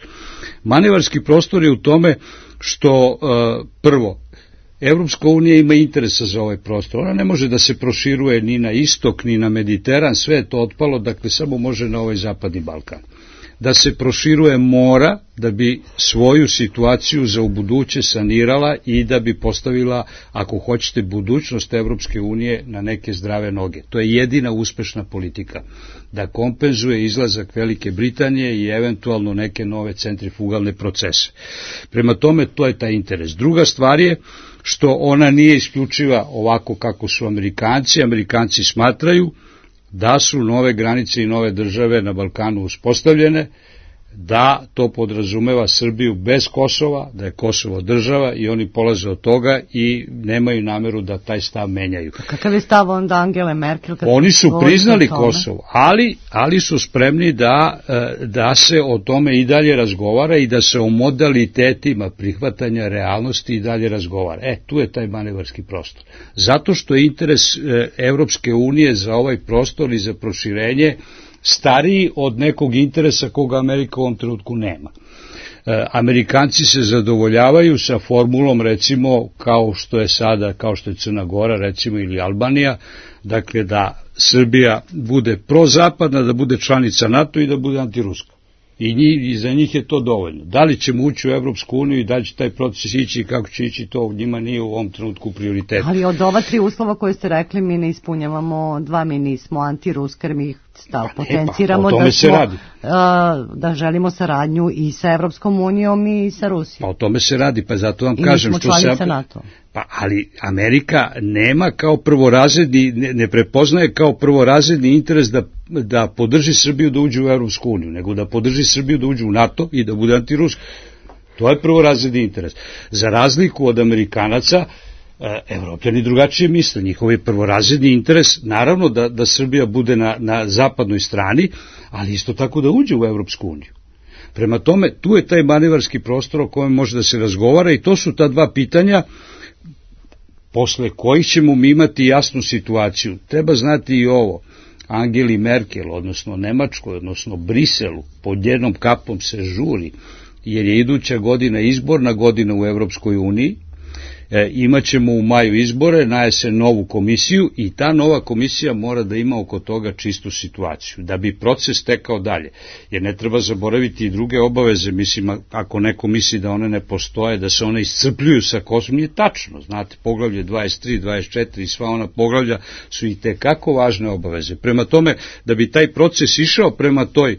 Manevarski prostor je u tome što, uh, prvo, Evropska unija ima interesa za ovaj prostor. Ona ne može da se proširuje ni na istok, ni na Mediteran, sve je to otpalo, dakle samo može na ovaj zapadni Balkan. Da se proširuje mora da bi svoju situaciju za ubuduće sanirala i da bi postavila, ako hoćete, budućnost Evropske unije na neke zdrave noge. To je jedina uspešna politika, da kompenzuje izlazak Velike Britanije i eventualno neke nove centrifugalne procese. Prema tome, to je taj interes. Druga stvar je što ona nije isključiva ovako kako su Amerikanci. Amerikanci smatraju da su nove granice i nove države na Balkanu uspostavljene, da to podrazumeva Srbiju bez Kosova, da je Kosovo država i oni polaze od toga i nemaju nameru da taj stav menjaju. Kakav je stav onda Angele Merkel? Oni su priznali Kosovo, ali, ali su spremni da, da se o tome i dalje razgovara i da se o modalitetima prihvatanja realnosti i dalje razgovara. E, tu je taj manevarski prostor. Zato što je interes Evropske unije za ovaj prostor i za proširenje stariji od nekog interesa koga Amerika u ovom trenutku nema. E, Amerikanci se zadovoljavaju sa formulom, recimo, kao što je sada, kao što je Crna Gora, recimo, ili Albanija, dakle da Srbija bude prozapadna, da bude članica NATO i da bude antiruska. I, njih, i za njih je to dovoljno. Da li ćemo ući u Evropsku uniju i da li će taj proces ići i kako će ići, to njima nije u ovom trenutku prioritet. Ali od ova tri uslova koje ste rekli mi ne ispunjavamo dva, mi nismo antiruska, jer mi stav pa potenciramo pa, da, smo, radi. A, da želimo saradnju i sa Evropskom unijom i sa Rusijom. Pa o tome se radi, pa zato vam I kažem što se... NATO. Pa, ali Amerika nema kao prvorazredni, ne, ne prepoznaje kao prvorazredni interes da, da podrži Srbiju da uđe u Evropsku uniju, nego da podrži Srbiju da uđe u NATO i da bude antiruski. To je prvorazredni interes. Za razliku od Amerikanaca, Evropljani drugačije misle, njihov je prvorazredni interes, naravno da, da Srbija bude na, na zapadnoj strani, ali isto tako da uđe u Evropsku uniju. Prema tome, tu je taj manevarski prostor o kojem može da se razgovara i to su ta dva pitanja posle kojih ćemo mi imati jasnu situaciju. Treba znati i ovo, Angeli Merkel, odnosno Nemačkoj, odnosno Briselu, pod jednom kapom se žuri, jer je iduća godina izborna godina u Evropskoj uniji, e, imaćemo u maju izbore, na jesen novu komisiju i ta nova komisija mora da ima oko toga čistu situaciju, da bi proces tekao dalje, jer ne treba zaboraviti i druge obaveze, mislim, ako neko misli da one ne postoje, da se one iscrpljuju sa Kosovom, nije tačno, znate, poglavlje dvadeset tri, dvadeset četiri i sva ona poglavlja su i tekako važne obaveze. Prema tome, da bi taj proces išao prema toj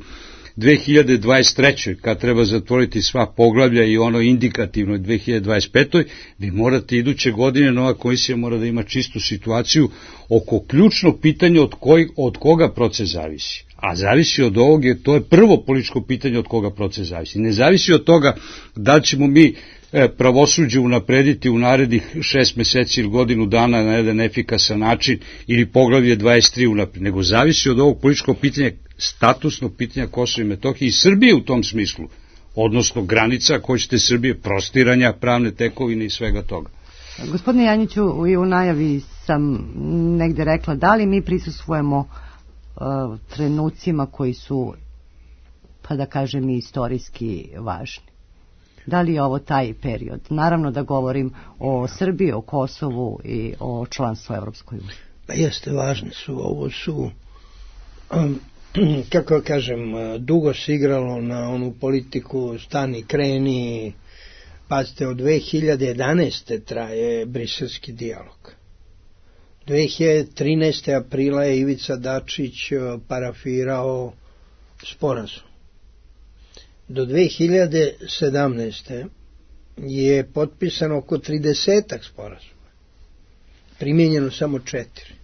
dve hiljade dvadeset trećoj kad treba zatvoriti sva poglavlja i ono indikativno dve hiljade dvadeset petoj vi morate iduće godine, nova komisija mora da ima čistu situaciju oko ključnog pitanja od, koj, od koga proces zavisi. A zavisi od ovog, je, to je prvo političko pitanje od koga proces zavisi. Ne zavisi od toga da ćemo mi pravosuđe unaprediti u narednih šest meseci ili godinu dana na jedan efikasan način ili poglavlje dvadeset tri unapred, nego zavisi od ovog političkog pitanja, statusnog pitanja Kosova i Metohije i Srbije u tom smislu, odnosno granica, ako hoćete Srbije, prostiranja pravne tekovine i svega toga. Gospodine Janjiću, i u najavi sam negde rekla, da li mi prisustvujemo uh, trenucima koji su, pa da kažem, istorijski važni? Da li je ovo taj period? Naravno da govorim o Srbiji, o Kosovu i o članstvu Evropskoj uniji. Pa jeste, važni su. Ovo su, um, kako kažem, dugo se igralo na onu politiku stani, kreni. Pazite, od dve hiljade jedanaeste traje briselski dijalog. dve hiljade trinaeste aprila je Ivica Dačić parafirao sporazum. Do dve hiljade sedamnaeste je potpisano oko tridesetak sporazuma. Primijenjeno samo četiri.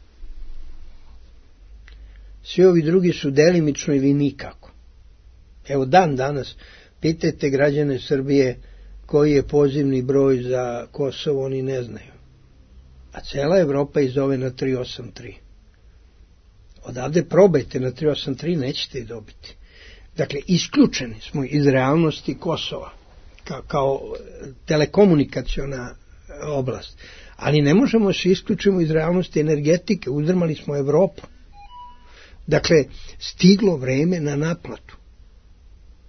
Svi ovi drugi su delimično ili nikako. Evo dan danas, pitajte građane Srbije koji je pozivni broj za Kosovo, oni ne znaju. A cela Evropa ih zove na tri osam tri. Odavde probajte na tri osam tri, nećete ih dobiti. Dakle, isključeni smo iz realnosti Kosova kao, kao telekomunikaciona oblast. Ali ne možemo se isključimo iz realnosti energetike, uzdrmali smo Evropu. Dakle, stiglo vreme na naplatu.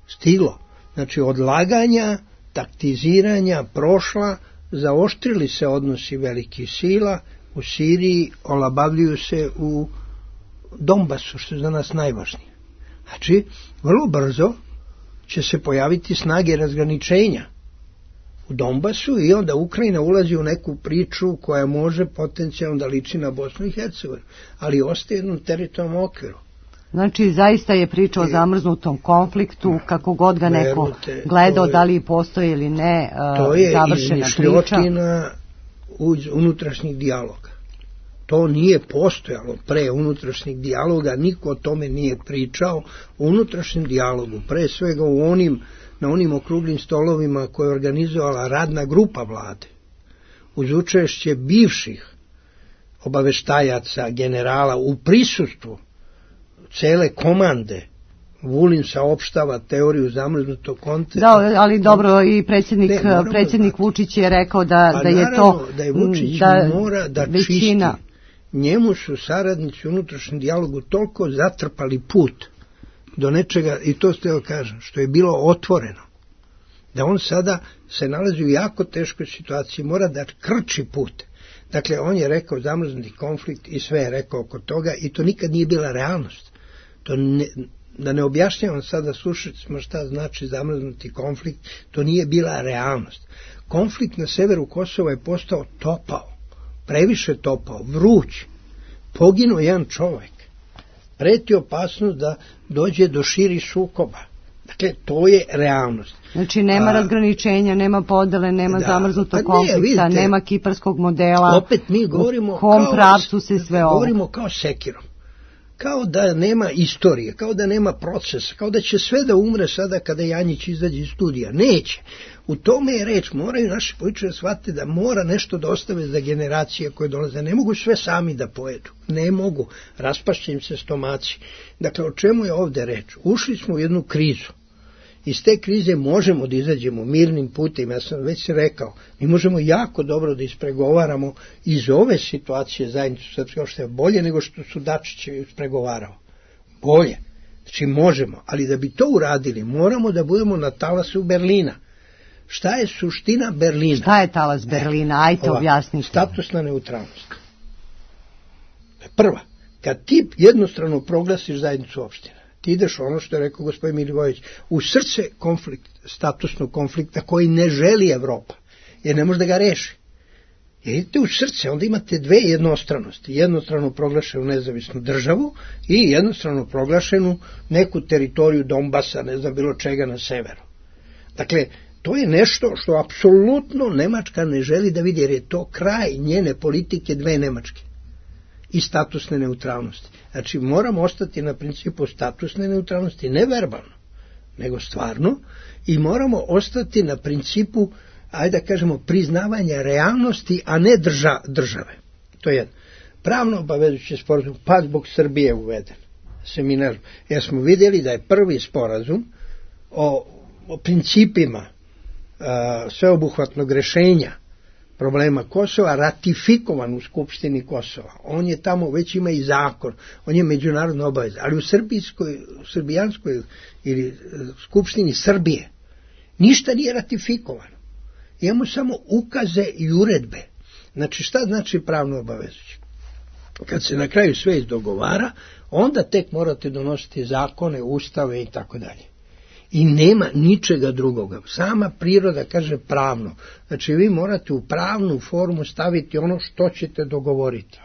Stiglo. Znači, odlaganja, taktiziranja prošla, zaoštrili se odnosi velikih sila, u Siriji olabavljuju se u Donbasu, što je za nas najvažnije. Znači, vrlo brzo će se pojaviti snage razgraničenja u Donbasu i onda Ukrajina ulazi u neku priču koja može potencijalno da liči na Bosnu i Hercegovinu, ali ostaje jednom teritorijalnom okviru. Znači, zaista je priča o zamrznutom konfliktu, kako god ga neko Verujte, gledao, je, da li postoji ili ne, to je završena izmišljotina unutrašnjih dijaloga. To nije postojalo pre unutrašnjeg dijaloga, niko o tome nije pričao. U unutrašnjem dijalogu, pre svega u onim, na onim okruglim stolovima koje je organizovala radna grupa vlade, uz učešće bivših obaveštajaca, generala, u prisustvu cele komande, Vulin saopštava teoriju zamrznutog koncepta. Da, ali dobro, i predsjednik, ne, predsjednik Vučić je rekao da, pa da je to... da je Vučić da, mora da većina... čisti. Njemu su saradnici u unutrašnjem dijalogu toliko zatrpali put do nečega, i to ste joj kažem, što je bilo otvoreno, da on sada se nalazi u jako teškoj situaciji, mora da krči put. Dakle, on je rekao zamrznuti konflikt i sve je rekao oko toga i to nikad nije bila realnost. To ne, da ne objašnjavam sada, slušajte smo šta znači zamrznuti konflikt, to nije bila realnost. Konflikt na severu Kosova je postao topao, previše topao, vruć, poginuo jedan čovjek. Preti opasnost da dođe do širih sukoba. Dakle, to je realnost. Znači, nema A, razgraničenja, nema podele, nema da, zamrznutog pa konflikta, ne, vidite, nema kiparskog modela. Opet mi govorimo, u kom pravcu se sve ovo. Govorimo kao sekirom. Kao da nema istorije, kao da nema procesa, kao da će sve da umre sada kada Janjić izađe iz studija. Neće. U tome je reč, moraju naši političari da shvate da mora nešto da ostave za generacije koje dolaze. Ne mogu sve sami da pojedu. Ne mogu. Raspašće im se stomaci. Dakle, o čemu je ovde reč? Ušli smo u jednu krizu. Iz te krize možemo da izađemo mirnim putem. Ja sam već rekao, mi možemo jako dobro da ispregovaramo iz ove situacije zajednicu srpske opštine bolje nego što su Dačić ispregovarao. Bolje. Znači možemo, ali da bi to uradili moramo da budemo na talasu Berlina. Šta je suština Berlina? Šta je talas Berlina? Ajte Ova, objasnite. Statusna neutralnost. Prva, kad ti jednostrano proglasiš zajednicu opština, ti ideš ono što je rekao gospodin Milivojević, u srce konflikt, statusnog konflikta koji ne želi Evropa, jer ne može da ga reši. Jer idete u srce, onda imate dve jednostranosti. Jednostrano proglašenu nezavisnu državu i jednostrano proglašenu neku teritoriju Donbasa, ne znam bilo čega na severu. Dakle, to je nešto što apsolutno Nemačka ne želi da vidi, jer je to kraj njene politike dve Nemačke i statusne neutralnosti. Znači, moramo ostati na principu statusne neutralnosti, ne verbalno, nego stvarno, i moramo ostati na principu, ajde da kažemo, priznavanja realnosti, a ne drža, države. To je jedno. Pravno obavezujući sporazum, pa zbog Srbije uveden seminar. Jer smo vidjeli da je prvi sporazum o, o principima a, sveobuhvatnog rešenja problema Kosova ratifikovan u Skupštini Kosova. On je tamo, već ima i zakon, on je međunarodna obaveza, ali u srbijskoj, u srbijanskoj ili Skupštini Srbije ništa nije ratifikovano. Imamo samo ukaze i uredbe. Znači, šta znači pravno obavezujuće? Kad se na kraju sve izdogovara, onda tek morate donositi zakone, ustave i tako dalje. I nema ničega drugoga. Sama priroda kaže pravno. Znači, vi morate u pravnu formu staviti ono što ćete dogovoriti.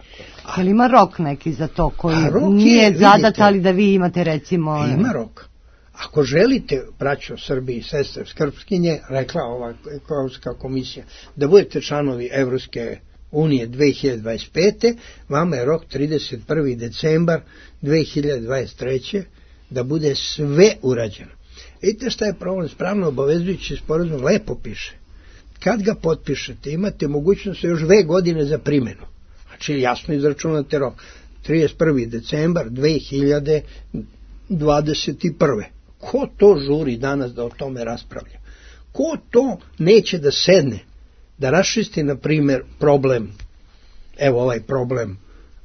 A li ima rok neki za to koji nije je, zadat, vidite, ali da vi imate recimo... Ima rok. Ako želite, braćo Srbiji, sestre, skrbskinje, rekla ova ekonomska komisija, da budete članovi Evropske unije dve hiljade dvadeset pete. Vama je rok trideset prvi decembar dve hiljade dvadeset treće. da bude sve urađeno. Vidite šta je problem, pravno obavezujući sporazum lepo piše. Kad ga potpišete, imate mogućnost još dve godine za primjenu. Znači jasno izračunate rok. trideset prvi decembar dve hiljade dvadeset prve. Ko to žuri danas da o tome raspravlja? Ko to neće da sedne, da raščisti, na primjer, problem, evo ovaj problem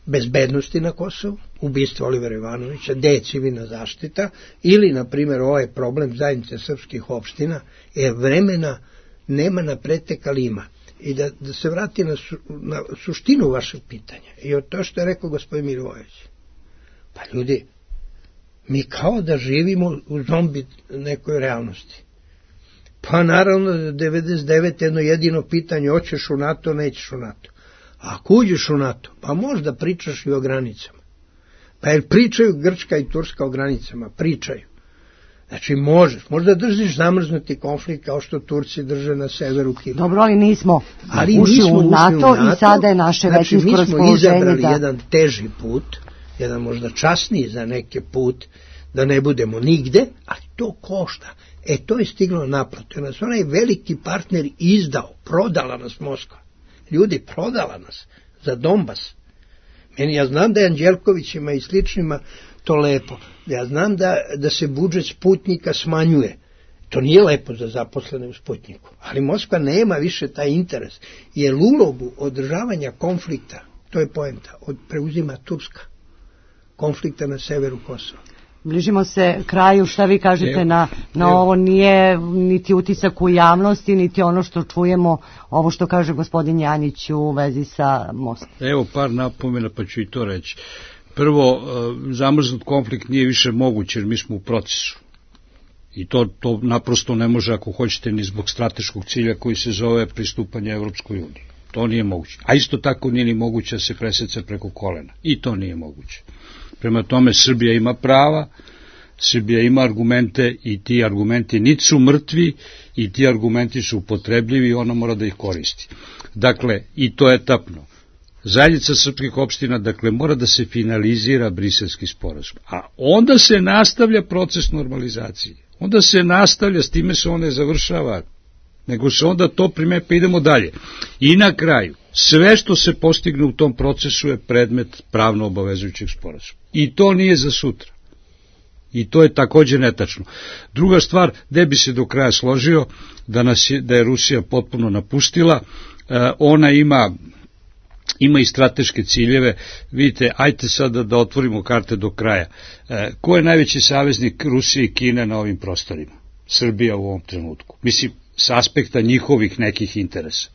bezbednosti na Kosovu, ubistvo Olivera Ivanovića, gde je civilna zaštita, ili, na primjer, ovaj problem zajednice srpskih opština, jer vremena nema na pretek, ali ima. I da, da se vrati na, su, na suštinu vašeg pitanja. I od to što je rekao gospodin Milivojević. Pa ljudi, mi kao da živimo u zombi nekoj realnosti. Pa naravno, devedeset devete jedno jedino pitanje, hoćeš u NATO, nećeš u NATO. A ako uđeš u NATO, pa možda pričaš i o granicama. Pa jer pričaju Grčka i Turska o granicama, pričaju. Znači možeš, možda držiš zamrznuti konflikt kao što Turci drže na severu Kipra. Dobro, ali nismo, ali ušli nismo u NATO, ušli u NATO i sada je naše znači, većinsko raspoloženje. Mi smo izabrali da... jedan teži put, jedan možda časniji za neke put, da ne budemo nigde, ali to košta. E, to je stiglo naplatu. Nas onaj veliki partner izdao, prodala nas Moskva. Ljudi, prodala nas za Donbas. Meni, ja znam da je Anđelkovićima i sličnima to lepo. Ja znam da, da se budžet Sputnika smanjuje. To nije lepo za zaposlene u Sputniku. Ali Moskva nema više taj interes. Jer ulogu održavanja konflikta, to je poenta, od preuzima Turska. Konflikta na severu Kosova. Bližimo se kraju, šta vi kažete na, na ovo? Nije niti utisak u javnosti, niti ono što čujemo, ovo što kaže gospodin Janjić u vezi sa mostom. Evo par napomena, pa ću i to reći. Prvo, zamrznut konflikt nije više moguć, jer mi smo u procesu. I to, to naprosto ne može, ako hoćete, ni zbog strateškog cilja koji se zove pristupanje Evropskoj uniji. To nije moguće. A isto tako nije ni moguće da se preseca preko kolena. I to nije moguće. Prema tome, Srbija ima prava, Srbija ima argumente i ti argumenti niti su mrtvi i ti argumenti su upotrebljivi i ona mora da ih koristi. Dakle, i to etapno. Zajednica srpskih opština, dakle, mora da se finalizira Briselski sporazum, a onda se nastavlja proces normalizacije. Onda se nastavlja, s time se on ne završava, nego se onda to prime, pa idemo dalje. I na kraju, sve što se postigne u tom procesu je predmet pravno obavezujućeg sporazuma. I to nije za sutra. I to je takođe netačno. Druga stvar, gde bi se do kraja složio, da, nas je, da je Rusija potpuno napustila, e, ona ima... ima i strateške ciljeve. Vidite, ajte sada da otvorimo karte do kraja. E, ko je najveći saveznik Rusije i Kine na ovim prostorima? Srbija u ovom trenutku. Mislim, s aspekta njihovih nekih interesa.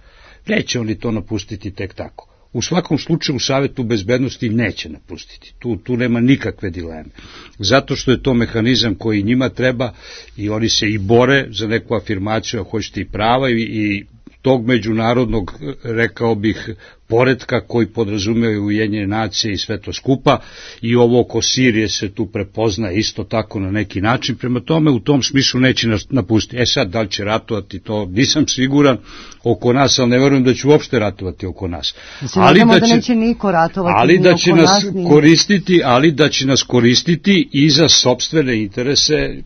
Neće oni to napustiti tek tako. U svakom slučaju u Savetu bezbednosti neće napustiti. Tu, tu nema nikakve dileme. Zato što je to mehanizam koji njima treba i oni se i bore za neku afirmaciju, a hoćete i prava i, i tog međunarodnog, rekao bih, poretka koji podrazumijaju Ujedinjene nacije i sve to skupa, i ovo oko Sirije se tu prepozna isto tako na neki način, prema tome u tom smislu neće nas napustiti. E sad, da li će ratovati, to nisam siguran oko nas, ali ne verujem da će uopšte ratovati oko nas. Mislim, ali da, će, da neće niko ratovati ali da će nas, nas ni... koristiti, ali da će nas koristiti i za sopstvene interese,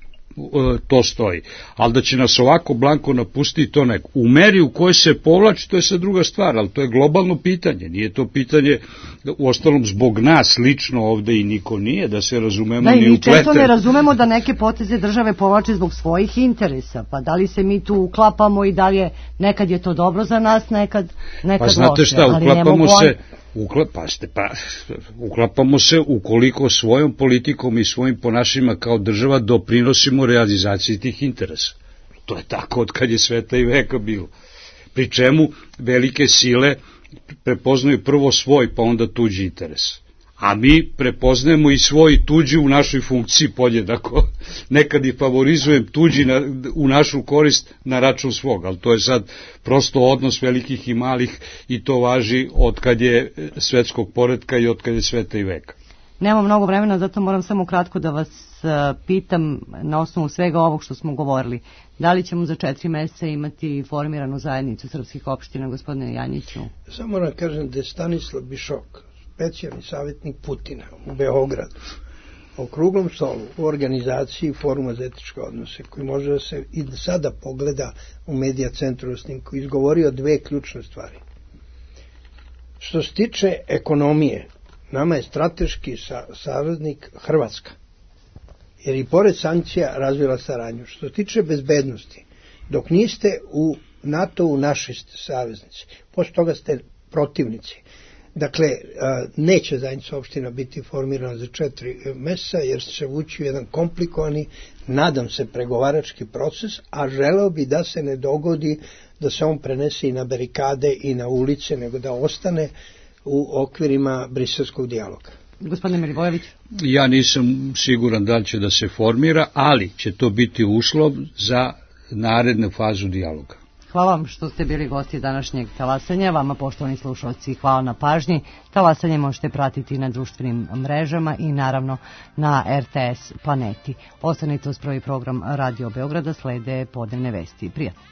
to stoji. Ali da će nas ovako blanko napustiti, to neko. U meri u kojoj se povlači, to je sad druga stvar, ali to je globalno pitanje. Nije to pitanje, u ostalom, zbog nas lično ovde i niko nije, da se razumemo, da, ni uplete. Da, i mi često ne razumemo da neke poteze države povlače zbog svojih interesa. Pa da li se mi tu uklapamo i da li je, nekad je to dobro za nas, nekad, nekad pa znate loše. Šta, uklapamo se... Ukla, pa ste, pa, uklapamo se ukoliko svojom politikom i svojim ponašanjima kao država doprinosimo realizaciji tih interesa. To je tako od kad je sveta i veka bilo. Pri čemu velike sile prepoznaju prvo svoj, pa onda tuđi interes. A mi prepoznajemo i svoj i tuđi u našoj funkciji podjednako. Nekad i favorizujem tuđi na, u našu korist na račun svog, ali to je sad prosto odnos velikih i malih i to važi od kad je svetskog poretka i od kad je sveta i veka. Nemam mnogo vremena, zato moram samo kratko da vas pitam na osnovu svega ovog što smo govorili. Da li ćemo za četiri meseca imati formiranu zajednicu srpskih opština, gospodine Janjiću? Samo da kažem da je Stanislav Bišok, specijalni savjetnik Putina u Beogradu, o kruglom stolu u organizaciji Foruma za etičke odnose, koji može da se i sada pogleda u Medija centru snimku, izgovorio dve ključne stvari. Što se tiče ekonomije, nama je strateški sa, saveznik Hrvatska, jer i pored sankcija razvila saradnju. Što se tiče bezbednosti, dok niste u NATO-u naši saveznici, posle toga ste protivnici. Dakle, neće zajednica opština biti formirana za četiri meseca, jer će se vući u jedan komplikovani, nadam se, pregovarački proces, a želeo bi da se ne dogodi da se on prenese i na barikade i na ulice, nego da ostane u okvirima briselskog dijaloga. Gospodine Milivojević? Ja nisam siguran da li će da se formira, ali će to biti uslov za narednu fazu dijaloga. Hvala vam što ste bili gosti današnjeg talasanja. Vama, poštovani slušalci, hvala na pažnji. Talasanje možete pratiti na društvenim mrežama i naravno na R T S Planeti. Ostanite uz prvi program Radio Beograda, slede podnevne vesti. Prijatno.